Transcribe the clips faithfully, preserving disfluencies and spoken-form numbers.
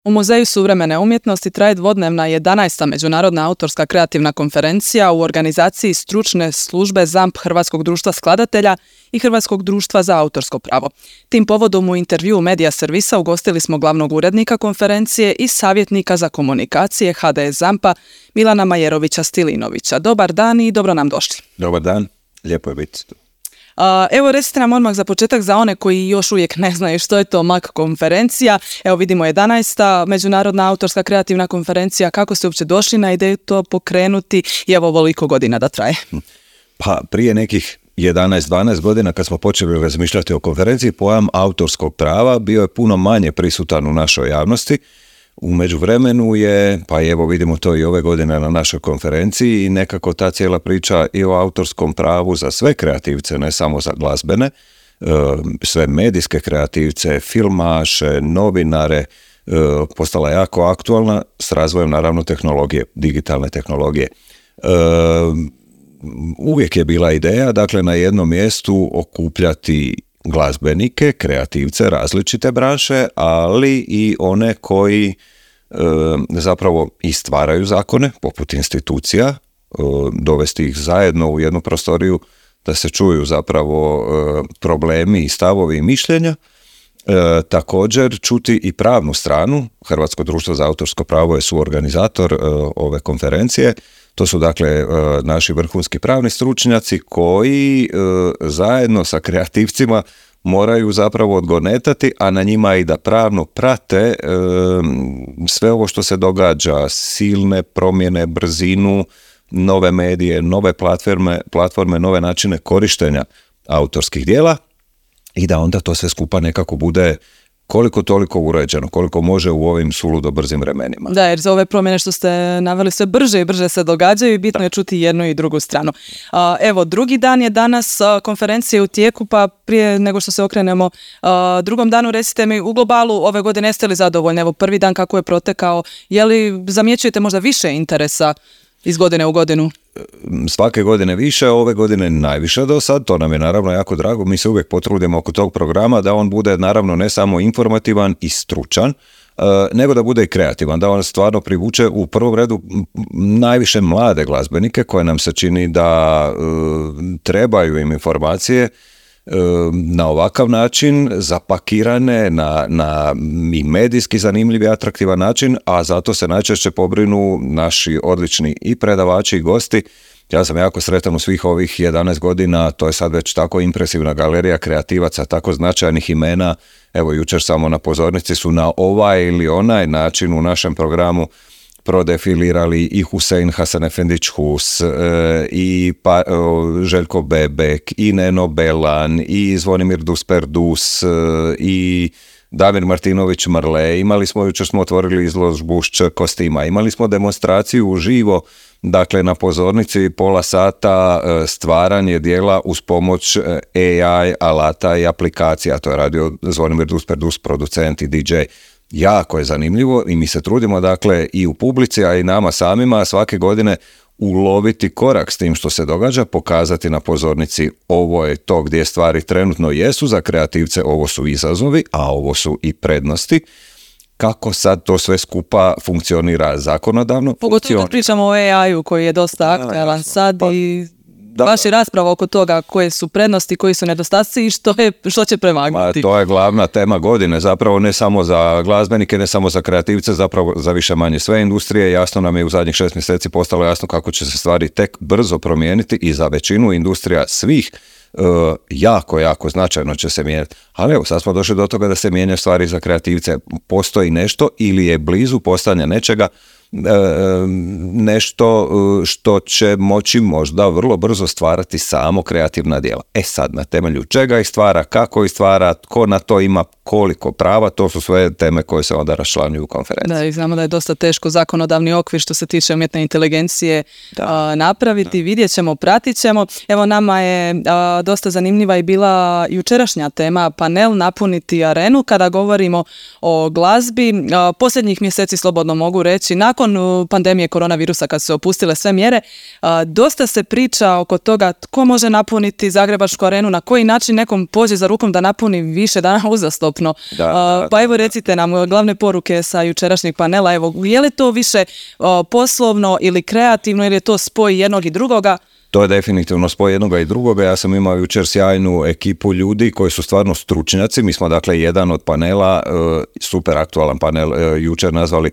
U Muzeju suvremene umjetnosti traje dvodnevna jedanaesta međunarodna autorska kreativna konferencija u organizaciji stručne službe ZAMP Hrvatskog društva skladatelja i Hrvatskog društva za autorsko pravo. Tim povodom u intervjuu Medija servisa ugostili smo glavnog urednika konferencije i savjetnika za komunikacije ha de es ZAMP-a Milana Majerovića-Stilinovića. Dobar dan i dobro nam došli. Dobar dan, lijepo je biti tu. Uh, evo recite nam odmah za početak za one koji još uvijek ne znaju što je to em a ke konferencija. Evo vidimo jedanaesta međunarodna autorska kreativna konferencija. Kako ste uopće došli na ideju to pokrenuti i evo ovoliko godina da traje? Pa prije nekih jedanaest dvanaest godina kad smo počeli razmišljati o konferenciji, pojam autorskog prava bio je puno manje prisutan u našoj javnosti. U međuvremenu je, pa evo vidimo to i ove godine na našoj konferenciji, i nekako ta cijela priča i o autorskom pravu za sve kreativce, ne samo za glazbene, sve medijske kreativce, filmaše, novinare, postala jako aktualna s razvojem naravno tehnologije, digitalne tehnologije. Uvijek je bila ideja, dakle, na jednom mjestu okupljati glazbenike, kreativce, različite branše, ali i one koji e, zapravo i stvaraju zakone, poput institucija, e, dovesti ih zajedno u jednu prostoriju da se čuju zapravo e, problemi i stavovi i mišljenja. E, također čuti i pravnu stranu. Hrvatsko društvo za autorsko pravo je suorganizator e, ove konferencije. To su dakle naši vrhunski pravni stručnjaci koji zajedno sa kreativcima moraju zapravo odgonetati, a na njima i da pravno prate sve ovo što se događa, silne promjene, brzinu, nove medije, nove platforme, platforme, nove načine korištenja autorskih djela i da onda to sve skupa nekako bude koliko toliko uređeno, koliko može u ovim suludo brzim vremenima. Da, jer za ove promjene što ste naveli sve brže i brže se događaju i bitno da je čuti jednu i drugu stranu. Uh, evo, drugi dan je danas uh, konferencije u tijeku, pa prije nego što se okrenemo uh, drugom danu, recite mi, u globalu ove godine jeste li zadovoljni? Evo, prvi dan kako je protekao, je li zamjećujete možda više interesa iz godine u godinu? Svake godine više, ove godine najviše do sad, to nam je naravno jako drago, mi se uvijek potrudimo oko tog programa da on bude naravno ne samo informativan i stručan, nego da bude i kreativan, da on stvarno privuče u prvom redu najviše mlade glazbenike koje nam se čini da uh, trebaju im informacije na ovakav način, zapakirane na, na i medijski zanimljiv i atraktivan način, a zato se najčešće pobrinu naši odlični i predavači i gosti. Ja sam jako sretan u svih ovih jedanaest godina, to je sad već tako impresivna galerija kreativaca, tako značajnih imena. Evo, jučer samo na pozornici su na ovaj ili onaj način u našem programu prodefilirali i Husein Hasanefendić Hus, e, i pa, o, Željko Bebek, i Neno Belan, i Zvonimir Dusper-Dus, e, i Damir Martinović Marle. Imali smo, jučer smo otvorili izložbu Šč kostima, imali smo demonstraciju uživo, dakle na pozornici pola sata e, stvaranje dijela uz pomoć e, a i alata i aplikacija. To je radio Zvonimir Dusper-Dus, producent i di džej. Jako je zanimljivo i mi se trudimo dakle i u publici, a i nama samima svake godine uloviti korak s tim što se događa, pokazati na pozornici ovo je to gdje stvari trenutno jesu za kreativce, ovo su izazovi, a ovo su i prednosti. Kako sad to sve skupa funkcionira zakonodavno? Pogotovo kad pričamo o e a i-u koji je dosta aktualan sad pa, i da, vaša rasprava oko toga koje su prednosti, koji su nedostaci i što, je, što će prevagnuti. To je glavna tema godine, zapravo ne samo za glazbenike, ne samo za kreativce, zapravo za više manje sve industrije. Jasno nam je u zadnjih šest mjeseci postalo jasno kako će se stvari tek brzo promijeniti i za većinu industrija svih uh, jako, jako značajno će se mijenjati. Ali evo, sad smo došli do toga da se mijenjaju stvari za kreativce. Postoji nešto ili je blizu postojanja nečega, nešto što će moći možda vrlo brzo stvarati samo kreativna djela. E sad, na temelju čega ih stvara, kako ih stvara, tko na to ima koliko prava, to su sve teme koje se onda raščlanjuju u konferenciji. Da, i znamo da je dosta teško zakonodavni okvir što se tiče umjetne inteligencije a, napraviti, da. Vidjet ćemo, pratit ćemo. Evo, nama je a, dosta zanimljiva i bila jučerašnja tema, panel Napuniti arenu, kada govorimo o glazbi. A, posljednjih mjeseci, slobodno mogu reći, nakon nakon pandemije koronavirusa kad su se opustile sve mjere, dosta se priča oko toga tko može napuniti Zagrebačku arenu, na koji način nekom pođe za rukom da napuni više dana uzastopno. Da, da, pa evo recite nam glavne poruke sa jučerašnjeg panela, evo je li to više poslovno ili kreativno ili je to spoj jednog i drugoga? To je definitivno spoj jednoga i drugoga. Ja sam imao jučer sjajnu ekipu ljudi koji su stvarno stručnjaci. Mi smo dakle jedan od panela, super aktualan panel, jučer nazvali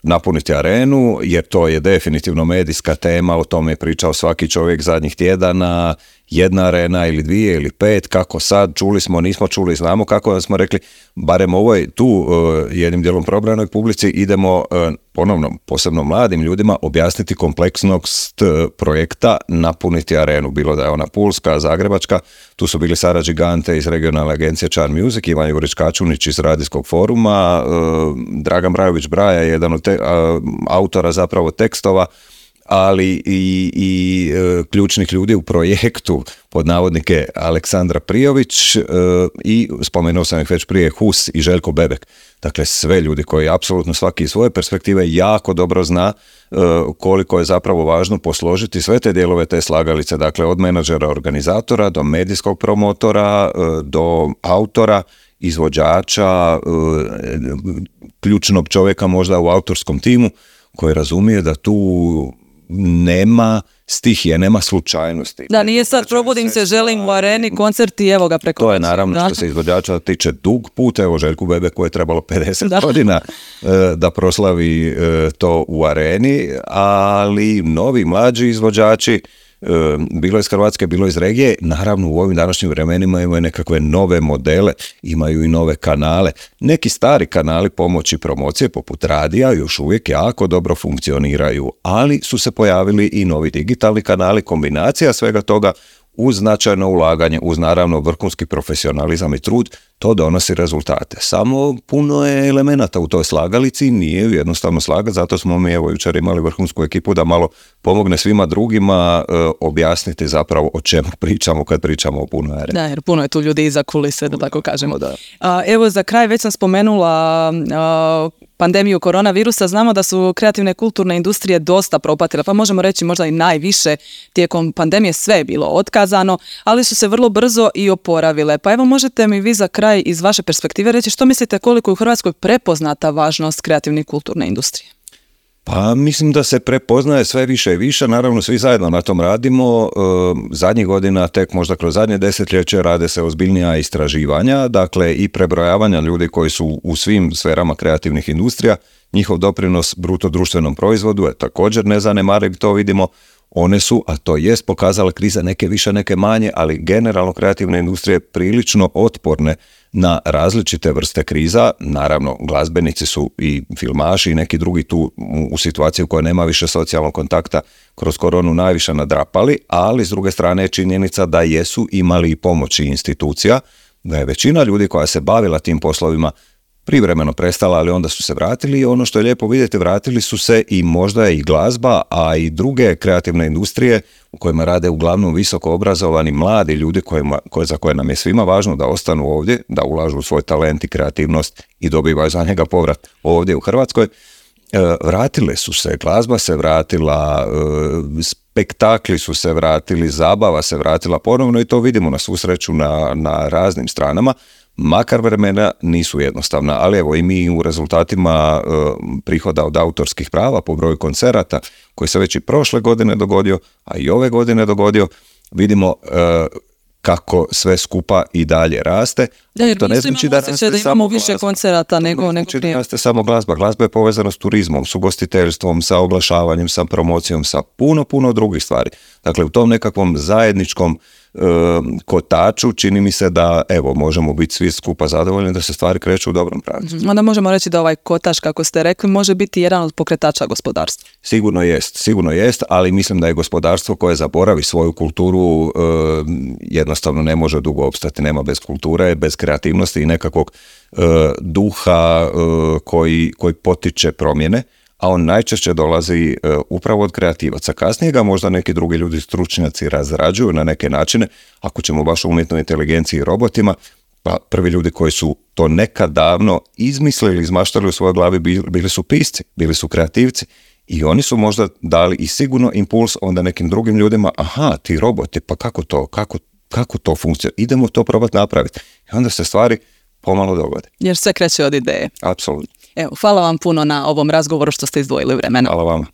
Napuniti arenu, jer to je definitivno medijska tema, o tome je pričao svaki čovjek zadnjih tjedana, jedna arena ili dvije ili pet, kako sad, čuli smo, nismo čuli, znamo kako, da smo rekli, barem ovoj tu uh, jednim dijelom probranoj publici idemo uh, ponovno, posebno mladim ljudima, objasniti kompleksnost uh, projekta Napuniti arenu, bilo da je ona pulska, zagrebačka, tu su bili Sara Gigante iz regionalne agencije Charm Music, Ivan Jurić-Kačunić iz radijskog foruma, uh, Dragan Brajović-Braja, jedan od te, uh, autora zapravo tekstova, ali i, i e, ključnih ljudi u projektu, pod navodnike Aleksandra Prijović e, i spomenuo sam ih već prije Hus i Željko Bebek. Dakle, sve ljudi koji apsolutno svaki iz svoje perspektive jako dobro zna e, koliko je zapravo važno posložiti sve te dijelove te slagalice, dakle od menadžera organizatora do medijskog promotora, e, do autora, izvođača, e, ključnog čovjeka možda u autorskom timu koji razumije da tu nema stihije, nema slučajnosti. Da, nije sad probudim se, želim u areni, koncert i evo ga preko. To je naravno da. Što se izvođača tiče dug put, evo Željku Bebeku je trebalo pedeset da. godina uh, da proslavi uh, to u areni, ali novi, mlađi izvođači, uh, bilo iz Hrvatske, bilo iz regije, naravno u ovim današnjim vremenima imaju nekakve nove modele, imaju i nove kanale. Neki stari kanali pomoći promocije poput radija još uvijek jako dobro funkcioniraju, ali su se pojavili i novi digitalni kanali, kombinacija svega toga uz značajno ulaganje, uz naravno vrhunski profesionalizam i trud, to donosi rezultate. Samo puno je elemenata u toj slagalici, nije jednostavno slagati, zato smo mi evo jučer imali vrhunsku ekipu da malo pomogne svima drugima e, objasniti zapravo o čemu pričamo kad pričamo o punoj areni. Da, jer puno je tu ljudi iza kulise, da tako kažemo. Da. A, evo za kraj već sam spomenula a, pandemiju koronavirusa, znamo da su kreativne kulturne industrije dosta propatile, pa možemo reći možda i najviše tijekom pandemije, sve je bilo otkazano, ali su se vrlo brzo i oporavile. Pa evo možete mi vi za kraj iz vaše perspektive reći što mislite koliko je u Hrvatskoj prepoznata važnost kreativne i kulturne industrije? Pa mislim da se prepoznaje sve više i više, naravno svi zajedno na tom radimo, e, zadnjih godina, tek možda kroz zadnje desetljeće rade se ozbiljnija istraživanja, dakle i prebrojavanja ljudi koji su u svim sferama kreativnih industrija, njihov doprinos bruto društvenom proizvodu je također nezanemariv, to vidimo, one su, a to jest pokazala kriza, neke više, neke manje, ali generalno kreativne industrije prilično otporne na različite vrste kriza. Naravno, glazbenici su i filmaši i neki drugi tu u situaciji u kojoj nema više socijalnog kontakta kroz koronu najviše nadrapali, ali s druge strane je činjenica da jesu imali i pomoći institucija, da je većina ljudi koja se bavila tim poslovima privremeno prestala, ali onda su se vratili i ono što je lijepo vidjeti, vratili su se i možda i glazba, a i druge kreativne industrije u kojima rade uglavnom visoko obrazovani mladi ljudi kojima, koje, za koje nam je svima važno da ostanu ovdje, da ulažu svoj talent i kreativnost i dobivaju za njega povrat ovdje u Hrvatskoj. E, vratile su se, glazba se vratila, e, spektakli su se vratili, zabava se vratila ponovno i to vidimo na svu sreću na, na raznim stranama. Makar vremena nisu jednostavna, ali evo i mi u rezultatima e, prihoda od autorskih prava po broju koncerata koji se već i prošle godine dogodio, a i ove godine dogodio, vidimo e, kako sve skupa i dalje raste. Da, jer to ne znači da, raste da imamo više glazba. Koncerata nego nego prije. Ne raste samo glazba. Glazba je povezana s turizmom, s ugostiteljstvom, sa oglašavanjem, sa promocijom, sa puno, puno drugih stvari. Dakle, u tom nekakvom zajedničkom e, kotaču čini mi se da, evo, možemo biti svi skupa zadovoljni da se stvari kreću u dobrom pravcu. Onda možemo reći da ovaj kotač, kako ste rekli, može biti jedan od pokretača gospodarstva. Sigurno jest, sigurno jest, ali mislim da je gospodarstvo koje zaboravi svoju kulturu e, jednostavno ne može dugo opstati, nema bez kulture, bez kreativnosti i nekakvog e, duha e, koji, koji potiče promjene, a on najčešće dolazi e, upravo od kreativaca. Kasnije ga možda neki drugi ljudi stručnjaci razrađuju na neke načine, ako ćemo baš o umjetnoj inteligenciji i robotima, pa prvi ljudi koji su to nekad davno izmislili, izmaštali u svojoj glavi bili su pisci, bili su kreativci I oni su možda dali i sigurno impuls onda nekim drugim ljudima, aha, ti roboti, pa kako to, kako, kako to funkcionira, idemo to probati napraviti. I onda se stvari pomalo dogode. Jer sve kreće od ideje. Apsolutno. Evo, hvala vam puno na ovom razgovoru što ste izdvojili vremena. Hvala vama.